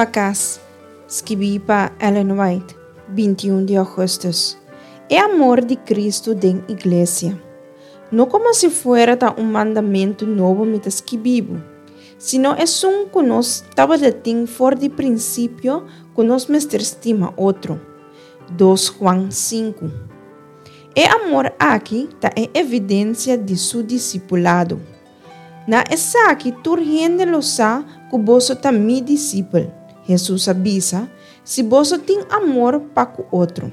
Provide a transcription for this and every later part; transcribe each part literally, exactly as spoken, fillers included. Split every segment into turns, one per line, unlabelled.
Pa Kas, skibí pa Ellen White, binti un di ougùstùs. E amor di Kristu den iglesia. No komo si fuera ta un mandamentu nobo mi ta skibi bo, sino esun ku nos tabatin for di prinsipio ku nos mester stima otro. Dos Juan sinku. E amor aki ta e evidensia di su disipulado. Na esaki tur hende lo sa ku boso ta mi disipel, Hesus a bisa, si boso tin amor pa ku otro.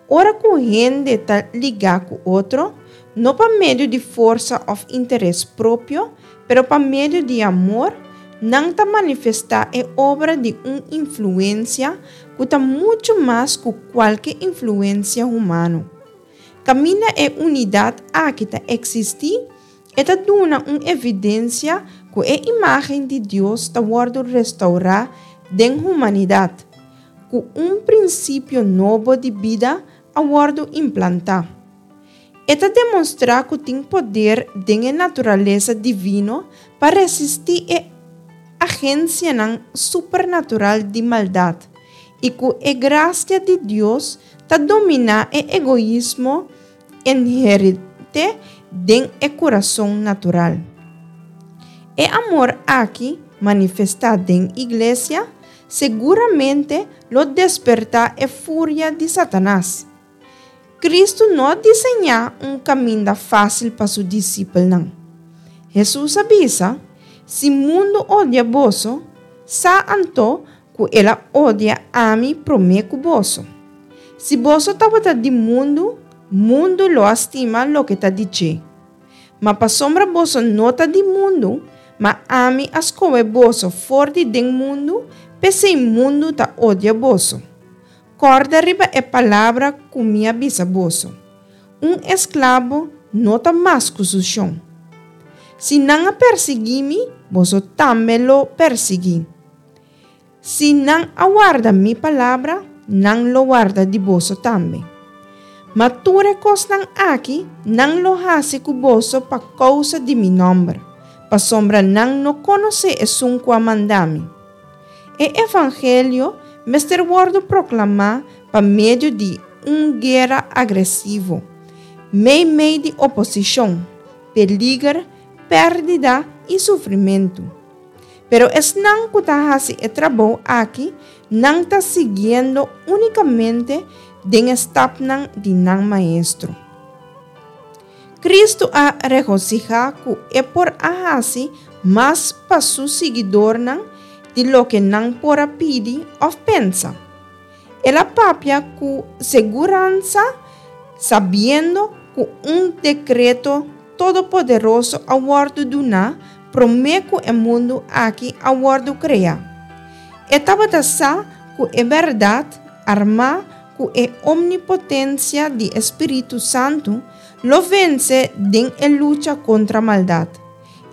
Ora ku hende ta ligá ku otro, no pa medio di forsa òf interes propio, pero pa medio di amor, nan ta manifestá e obra di un influensia ku ta muchu mas ku kualke influensia humano. Kaminda e unidat aki ta eksistí, e ta duna un evidensia ku e imágen di Dios ta wòrdu restourá den humanidat, ku un prinsipio nobo di bida a wòrdu implantá. E ta demostrá ku tin poder den e naturalesa divino pa resistí e agensianan supernatural di maldat i ku e grasia di Dios ta dominá e egoismo inherente den e kurason natural. E amor aki manifestá den iglesia seguramente lo despertá e furia di Satanas. Kristu no a diseñá un kaminda fásil pa su disipelnan. Hesus a bisa, Si mundu odia boso, sa anto ku el a odia ami promé ku boso. Si boso tabata di mundu, mundu lo a stima loke ta di dje. Ma pasobra boso no ta di mundu, ma ami a skohe boso for di den mundu, p'esei mundu ta odia boso. Kòrda riba e palabra ku mi a bisa boso, Un esklabo no ta mas ku su shon. Si nan a persiguí mi, boso tambe lo persiguí. Si nan a warda mi palabra, nan lo warda di boso tambe. Ma tur e kosnan aki nan lo hasi ku boso pa kousa di mi nòmber, pasobra nan no konosé esun ku a manda mi. E evangelio mester wòrdu proklamá pa medio di un guera agresivo, meimei di oposishon, peliger, pèrdida i sufrimentu. Pero esnan ku ta hasi e trabou aki, nan ta siguiendo únikamente den e stapnan di nan Maestro. Kristu a regosihá ku e por a hasi mas pa su siguidornan di loke nan por a pidi òf pensa. El a papia ku seguransa, sabiendo ku un dekreto todopoderoso a wòrdu duná promé ku e mundu aki a wòrdu kreá. E tabata sa ku e bèrdat, armá ku e omnipotensia di e Spiritu Santu, lo vense den e lucha kontra maldat,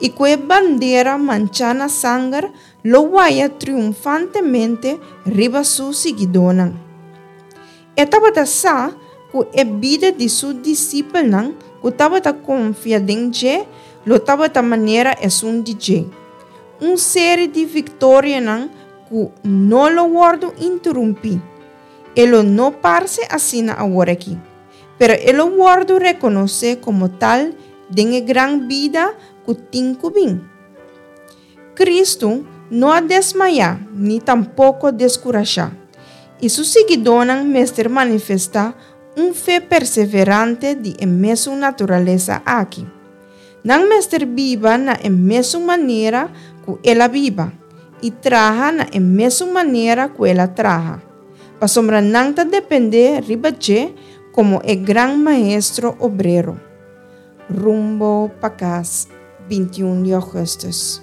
i ku e bandera manchá na sanger lo waya triunfantemente riba su siguidónan. E tabata sa ku e bida di su disipelnan ku tabata konfia den dje lo tabata manera esun di dje, un seri di viktorianan ku no lo wòrdu interumpí. E lo no parse asina aworakí, pero e lo wòrdu rekonosé komo tal den e gran bida ku tin ku bin. Kristu no a desmayá ni tampoko deskurashá, i su siguidónan mester manifestá un fe perseverante di e mesun naturalesa aki. Nan mester biba na e mesun manera ku el a biba i traha na e mesun manera ku el a traha, pasobra nan ta dependé riba dje komo e Gran Maestro Obrero. Rumbo pa Kas, binti un di ougùstùs.